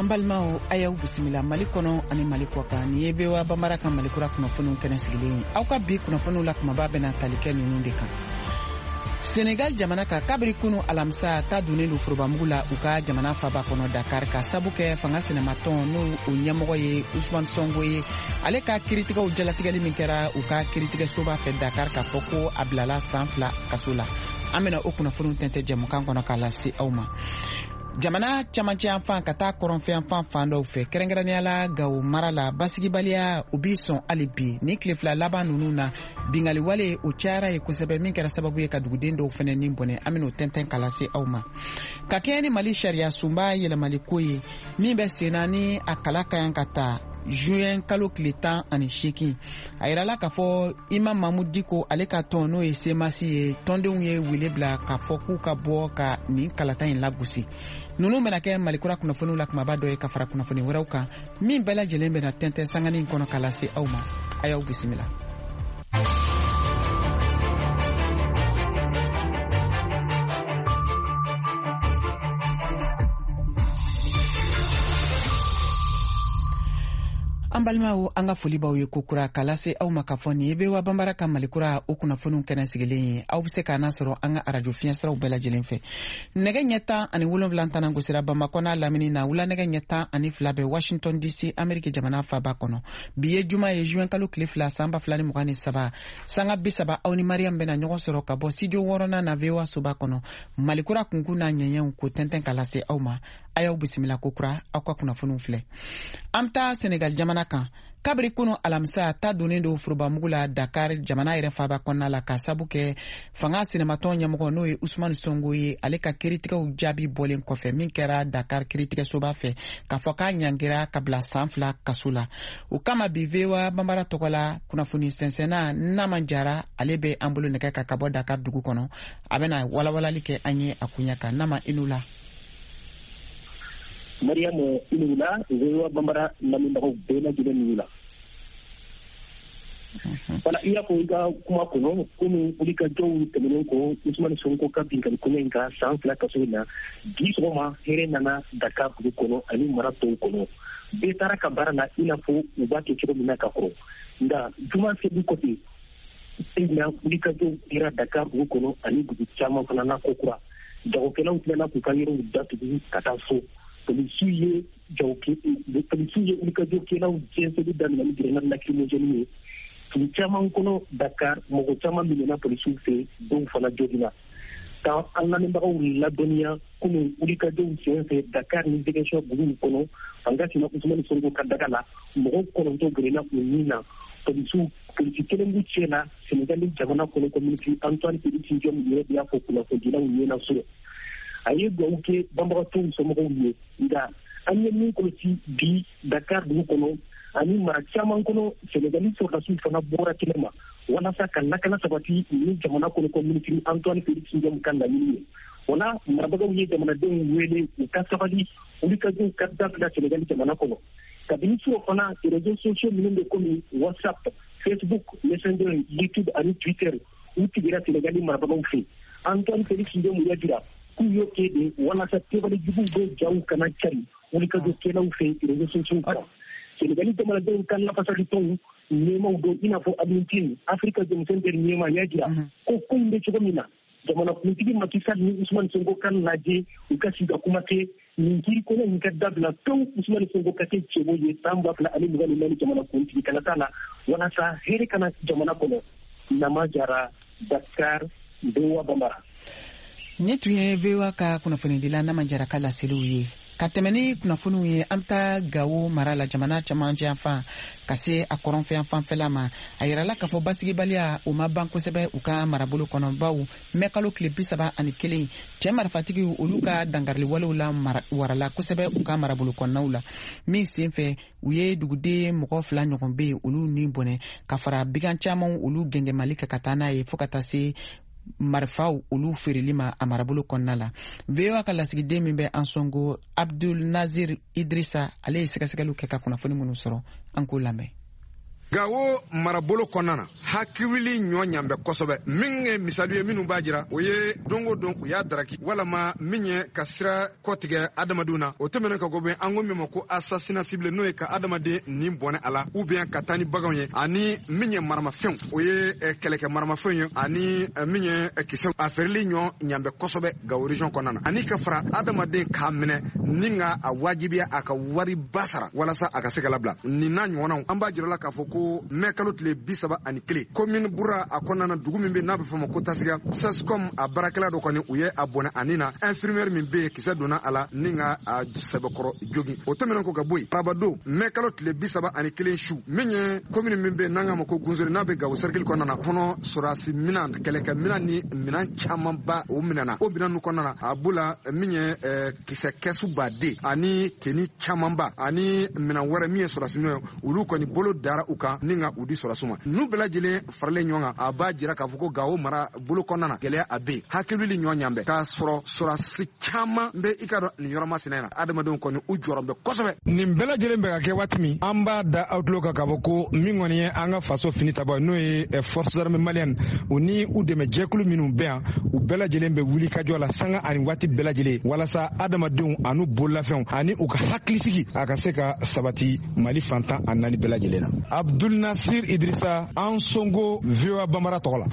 Balimaw, a y'aw bisimila Mali kɔnɔ ani Mali kɔkan. Nin ye VOA Banbara ka Malikura kunnafoniw kɛnɛ sigilen ye. Aw ka bi kunnafoniw la kumaba bɛna tali kɛ ninnu de kan. Senegal jamana kan, kabiri kunu alamisa ta donnen don forobamugu la u ka jamana faba kɔnɔ Dakar, ka sabu kɛ fanga sinamatɔn, n'o o ɲɛmɔgɔ ye Usman Sonko ye, ale ka kiritigɛw jalatigɛli min kɛra u ka kiritigɛsoba fɛ Dakar, k'a fɔ ko a bilala san 2 kaso la. An bɛna o kunnafoniw tɛntɛ jɛmukan kɔnɔ k'a lase aw ma. Jamana camancɛ yanfan ka taa kɔrɔnfɛ yanfan fan dɔw fɛ, kɛrɛnkɛrɛnnenya la Gawo mara la, basigibaliya o b'i sɔn hali bi. Ni tile 2 laban ninnu na, bingali wale o cayara ye kosɛbɛ, min kɛra sababu ye ka duguden dɔw fɛnɛ ni bɔnɛ. An ben'o tɛntɛn k'a lase aw ma. Ka kɛɲɛ ni Mali sariya sunba yɛlɛmali ko ye min bɛ senna, ni a kala ka yan ka ta juin kalo tile 18, a yirala k'a fɔ Imam Mahmoud Dicko, ale ka tɔn, n'o ye CMAS ye, tɔndenw ye wele bila k'a fɔ k'u ka bɔ ka nin kalata in lagosi. Ninnu bɛna kɛ Malikura kunnafoniw la kumaba dɔ ye, ka fara kunnafoni wɛrɛw kan min bɛɛ lajɛlen bɛna tɛntɛn sanganin kɔnɔ k'a lase aw ma. A y'aw bisimila. An balimaw, an ka foli b'aw ye kokura k'a lase aw ma k'a fɔ nin ye VOA Banbara ka Malikura o kunnafoniw kɛnɛ sigilen ye. Aw be se k'an nasɔrɔ an ka arajo fiɲɛsiraw bɛɛ lajɛlen fɛ. Nɛgɛ ɲɛ 17 tanan gosira Bamakɔ n'a lamini na, wula nɛgɛ ɲɛ 12 bɛ Washington DC, Ameriki jamana faba kɔnɔ. Bi ye juma ye, juin kalo tile 2, san 2023. Sanga 30, aw ni Mariam bɛna ɲɔgɔn sɔrɔ ka bɔ studio wɔɔrɔnan na VOA soba kɔnɔ, Malikura kunkun n'a ɲɛɲɛw ko tɛntɛn ka lase aw ma. A y'aw bisimila kokura, aw ka kunnafoniw filɛ. An bɛ taa Senegal jamana kan. Kabiri kunu alamisa ta donnen don forobamugu la Dakar, jamana yɛrɛ faba kɔnɔna la, ka sabu kɛ fanga sinamatɔn ɲɛmɔgɔ, n'o ye Usman Sonko ye, ale ka kiritigɛw jaabi bɔlen kɔfɛ min kɛra Dakar kiritigɛsoba fɛ, k'a fɔ k'a ɲangira ka bila san 2 kaso la. O kama bi, VOA Banbara tɔgɔ la, kunnafoni sɛnsɛnna Naman Jara, ale bɛ an bolo nɛgɛ kan ka bɔ Dakar dugu kɔnɔ. A bɛna walawalali kɛ an ye a koɲɛ kan. Nama, i la. Mariyamu, i ni wula. VOA Banbara lamɛnbagaw bɛɛ lajɛlen ni wula. Wala, i y'a fɔ i ka kuma kɔnɔ, komi wulikajɔw tɛmɛnen kɔ Usumani Sonko ka binkali kɔnɔ in kan san 2 kaso in na, bi sɔgɔma hɛrɛ nana Dakar dugu kɔnɔ ani mara tɔw kɔnɔ. Bɛɛ taara ka baara la i n'a fɔ u b'a kɛ cogo min na ka kɔrɔ. Nka juma seli kɔfɛ na, wulikajɔw kɛra Dakar dugu kɔnɔ ani dugu caman fana na kokura. Jagokɛlaw tilala k'u ka yɔrɔw datugu ka taa so. Polisiw ye wulikajɔkɛlaw jɛnsɛnni daminɛ ni grenade lacrymogène ye dugu caman kɔnɔ Dakar. Mɔgɔ caman minɛna polisiw fɛ, dɔw fana joginna. Ka an lamɛnbagaw ladɔnniya, kunun wulikajɔw sen fɛ Dakar ni Ziguinchor duguw kɔnɔ, fanga sina Usumani Sonko ka daga la, mɔgɔ 9 gɛrɛna u nin na, polisiw polisi kelen b'u cɛ la. Senegali jamana kɔnɔ ko minisiri Antoine Félix Diome yɛrɛ de y'a fɔ kunnafonidilaw ɲɛna surɔ. A ye dugawu kɛ banbagatɔw somɔgɔw ye. Nka an ye min kɔlɔsi bi Dakar dugu kɔnɔ ani mara caman kɔnɔ, Senegali sɔrɔdasiw fana bɔra kɛnɛ ma walasa ka lakana sabati ni jamana kɔnɔ ko minisiri Antoine Félix Diome ka laɲini ye. O la, marabagaw ye jamanadenw wele u ka sabali, wulikajɔw ka dabila Senegali jamana kɔnɔ. Kabini surɔ fana, réseaux sociaux minnu bɛ komi WhatsApp, Facebook, Messenger, YouTube ani Twitter, u tigɛra Senegali marabagaw fɛ. Antoine Félix Diome y'a jira k'u y'o kɛ de walasa kɛwale juguw bɛ jaw kana cari wulikajɔkɛlaw fɛ réseaux sociaux kan. Senegali jamanadenw ka lafasalitɔnw ɲɛmaw dɔ, i n'a fɔ Alioune Tine, Africa Jom Center ɲɛma, y'a jira ko in bɛ cogo min na, jamanakuntigi Macky Sall ni Ousmane Sonko ka lajɛ, u ka sigi ka kuma kɛ, nin kiri kɔnɔ in ka dabila pewu, Ousmane Sonko ka kɛ cɛbɔ ye san 2024 jamanakuntigi kalata la, walasa hɛrɛ kana jamana kɔnɔ. Nama Jara, Dakar, VOA Banbara. Nin tun ye VOA ka kunnafonidila Nama Jara ka laseliw ye. Ka tɛmɛ ni kunnafoniw ye, an bɛ taa Gawo mara la, jamana camancɛ yanfan ka se a kɔrɔnfɛ yanfanfɛla ma. A yirala k'a fɔ basigibaliya o ma ban kosɛbɛ u ka marabolo kɔnɔ, baw mɛ kalo tile 31, cɛɛ marifatigiw olu ka dankariliwalew la warala kosɛbɛ u ka marabolo kɔnɔnaw la, min sen fɛ u ye duguden mɔgɔ 2 ɲɔgɔn be yen, olu ni bɔnɛ, ka fara bigan caman olu gɛngɛmali kɛ ka taa n'a ye, fɔɔ ka taa se marifaw olu feereli ma a marabolo kɔnɔna la. VOA ka lasigiden min bɛ Ansongo, Abdul Nazir Idrisa, ale ye sɛgɛsɛgɛliw kɛ ka kunnafoni minnu sɔrɔ, an k'o lamɛn. Gawo marabolo kɔnɔna na, Hakili ɲɔ ɲan bɛ kosɛbɛ. Min ye misali ye minnu b'a jira, o ye don o don u y'a daraki walama min ye ka sira kɔtigɛ adamadenw na. O tɛmɛnen ka bɔ, an ko min ma ko assassinat ciblé, n'o ye ka adamaden nin bɔnɛ a la ou bien ka taa ni baganw ye, ani min ye maramafɛnw, o ye kɛlɛkɛ maramafɛnw ye, ani min ye kisɛw, a feereli ɲɔ ɲan bɛ kosɛbɛ Gawo région kɔnɔna na, ani ka fara adamaden k'a minɛ ni ka a wajibiya a ka wariba sara walasa a ka se ka labila. Nin n'a ɲɔgɔnnaw, an b'a jira la k'a fɔ ko mɛ kalo tile 31, commune Bura a kɔnɔna na, dugu min bɛ n'a bɛ fɔ ma ko Tasiga, SASCOM a baarakɛla dɔ kɔni, u ye a bɔnɛ ani na infirmière min bɛ yen, kisɛ donna a la ni ka a sɛbɛkɔrɔ jogin. O tɛmɛnen kɔ ka bɔ yen, arabadon mɛ kalo tile 31 su, min ye commune min bɛ yen n'an k'a ma ko Gunsori, n'a bɛ Gawo cercle kɔnɔna na fɔnɔ, sɔrɔdasi minan, kɛlɛkɛ minan ni minan camanba o minɛna. O minan ninnu kɔnɔna na, a b'o la min ye kisɛ kɛsu baden ani teni camanba ani minan wɛrɛ min ye sɔrɔdasi minɛn ye, olu kɔni bolo dara u kan ni ka u di sɔrɔdasiw ma. Ninnu bɛɛ lajɛlen faralen ɲɔgɔn kan, a b'a jira k'a fɔ ko Gawo mara bolo kɔnɔna na, gɛlɛya a bɛ yen, hakili ɲɔ ɲan bɛ k'a sɔrɔ sɔrɔdasi caman bɛ i ka dɔn nin yɔrɔ masina in na. Adamadenw kɔni u jɔrɔ bɛ kosɛbɛ. Nin bɛɛ lajɛlen bɛ ka kɛ waati min, an b'a da aw tulo kan k'a fɔ ko min kɔni ye an ka faso fini tabɔ, n'o ye forces armées maliennes, u ni u dɛmɛ jɛkulu minnu bɛ yan, u bɛɛ lajɛlen bɛ wuli ka jɔ la sanga ani waati bɛɛ lajɛlen walasa adamadenw an'u bololafɛnw ani u ka hakilisigi a ka se ka sabati Mali fan 14 bɛɛ lajɛlen na. Abdul Nasir Idrissa Ansongo, VOA Bambara tɔgɔ la.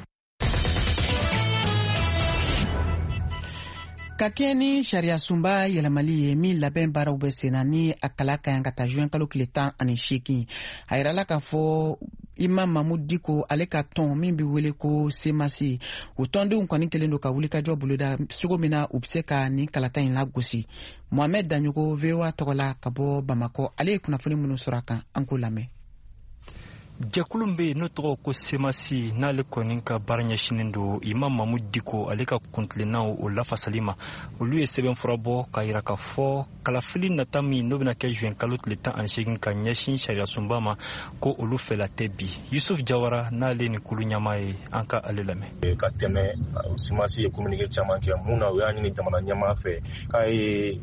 Ka kɛɲɛ ni sariyasunba yɛlɛmali ye min labɛn baaraw bɛ senna, ni a kala ka yan ka taa juin kalo tile 18, a yirala k'a fɔ Imam Mahmoud Dicko, ale ka tɔn min bɛ wele ko CMAS, o tɔndenw kɔni kɛlen don ka wulikajɔ boloda cogo min na u bɛ se ka nin kalata in lagosi. Mohamed Daɲogo, VOA tɔgɔ la ka bɔ Bamakɔ, ale ye kunnafoni minnu sɔrɔ a kan, an k'o lamɛn. Jɛkulu bɛ yen n'o tɔgɔ ko CMAS, n'ale kɔni ka baara ɲɛsinnen don Imam Mahmoud Dicko ale ka kuntilennaw o lafasali ma, olu ye sɛbɛnfura bɔ k'a yira k'a fɔ kalafili nata min n'o bɛna kɛ juin kalo tile 18 ka ɲɛsin sariyasunba ma, ko olu fɛla tɛ bi. Yusuf Jawara, n'ale ni kulu ɲɛmaa ye, an ka ale lamɛn. Ka tɛmɛ, CMAS ye communiqué caman kɛ mun na, u y'a ɲini jamana ɲɛmaa fɛ k'a ye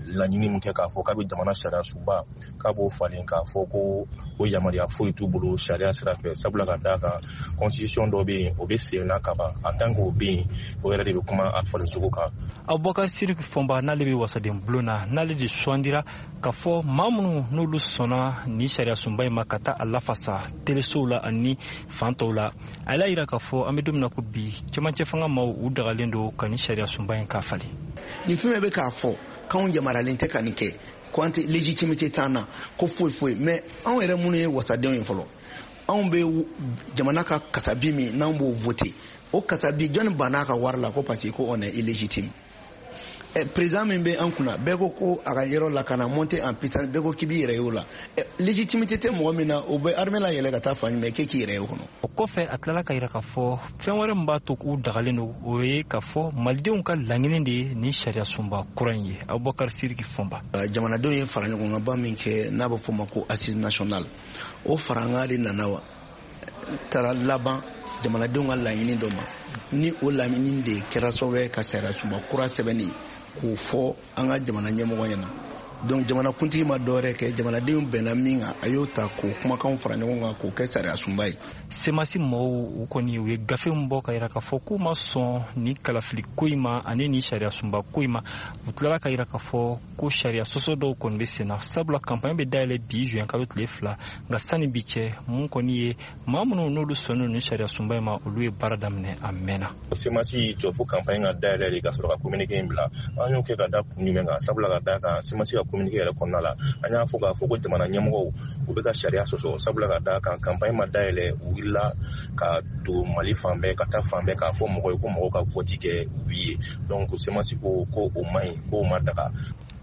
laɲini min kɛ k'a fɔ k'a bɛ jamana sariya sunba k'a b'o falen, k'a fɔ ko o yamaruya foyi t'u bolo sariya sira fɛ, sabula ka d'a kan constitution dɔ bɛ yen, o bɛ sen na kaban. En tant que o bɛ yen, o yɛrɛ de bɛ kuma a falen cogo kan. Abubakar Sidiki Fɔnba, n'ale bɛ wasaden bulon na, n'ale de sugandira k'a fɔ maa minnu n'olu sɔnna nin sariya sunba in ma ka taa a lafasa telesow la ani fan tɔw la, a y'a yira k'a fɔ an bɛ don min na ko bi, cɛmancɛ fanga maaw u dagalen don ka nin sariya sunba in k'a falen. Nin fɛn bɛɛ bɛ k'a fɔ k'anw yamaruyalen tɛ ka nin kɛ, ko an tɛ légitimité t'an na, ko foyi foyi. Mais anw yɛrɛ minnu ye wasadenw ye fɔlɔ, anw bɛ jamana ka kasabi min n'anw b'o voter, o kasabi, jɔnni banna a ka wari la ko parce que ko on est illégitime? Président min bɛ an kunna, bɛɛ ko ko a ka yɔrɔ la ka na monter en puissance, bɛɛ ko k'i b'i yɛrɛ ye o la. Légitimité tɛ mɔgɔ min na, o bɛ armée la yɛlɛ ka taa fan jumɛn k'e k'i yɛrɛ ye o kɔnɔ? O kɔfɛ, a tilala ka yira k'a fɔ fɛn wɛrɛ min b'a to k'u dagalen don, o ye k'a fɔ malidenw ka laɲini de ye nin sariya sunba kura in ye. Abubakar Sidiki Fɔnba. Jamanadenw ye fara ɲɔgɔnkanba min kɛ n'a bɛ fɔ o ma ko assise nationale, o faranga de nana wa taara laban jamanadenw ka laɲini dɔ ma, ni o laɲini de kɛra sababu ye ka sariya sunba kura sɛbɛnni k'o fɔ an ka jamana ɲɛmɔgɔ ɲɛna. Donc jamana kuntigi ma dɔwɛrɛ kɛ, jamanadenw bɛnna min kan, a y'o ta k'o kumakanw fara ɲɔgɔn kan k'o kɛ sariya sunba ye. CMAS mɔgɔw, u kɔni u ye gafe min bɔ ka yira k'a fɔ k'u ma sɔn nin kalafili ko in ma ani nin sariya sunba ko in ma, u tilala ka yira k'a fɔ ko sariya sɔsɔ dɔw kɔni bɛ sen na, sabula campagne bɛ dayɛlɛ bi juin kalo tile 2, nka sani bi cɛ, mun kɔni ye maa minnu n'olu sɔnnen nin sariya sunba in ma, olu ye baara daminɛ a mɛnna. CMAS y'i jɔ fo campagne ka dayɛlɛ de ka sɔrɔ ka communiqué in bila. An y'o kɛ ka da kun jumɛn kan? Sabula ka d'a kan CMAS ka communiqué yɛrɛ kɔnɔna la, an y'a fɔ k'a fɔ ko jamana ɲɛmɔgɔw u bɛ ka sariya sɔsɔ, sabula ka d'a kan campagne ma dayɛlɛ, u wulila ka don Mali fan bɛɛ, ka taa fan bɛɛ k'a fɔ mɔgɔw ye ko mɔgɔw ka vote kɛ oui ye. Donc CMAS ko ko o man ɲi, k'o ma daga.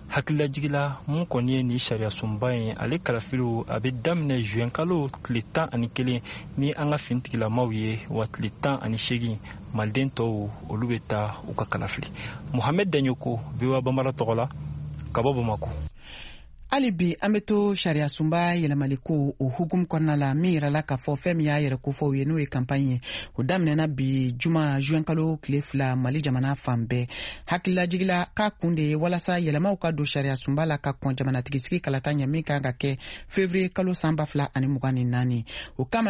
Hakililajigila, mun kɔni ye nin sariya sunba in ale kalafiliw, a bɛ daminɛ juin kalo tile 11 ni an ka finitigilamaw ye, wa tile 18 maliden tɔw olu bɛ taa u ka kalafili. Mohamed Daɲoko, VOA Bambara tɔgɔ la ka bɔ Bamakɔ. Hali bi an bɛ to sariya sunba yɛlɛmali ko o hukumu kɔnɔna la, min yirala k'a fɔ fɛn min y'a yɛrɛ kofɔw ye, n'o ye campagne ye, o daminɛna bi juma juin kalo tile 2 Mali jamana fan bɛɛ. Hakililajigila k'a kun de ye walasa yɛlɛmaw ka don sariya sunba la ka kɔn jamanatigisigi kalata ɲɛ min kan ka kɛ février kalo san 2024. O kama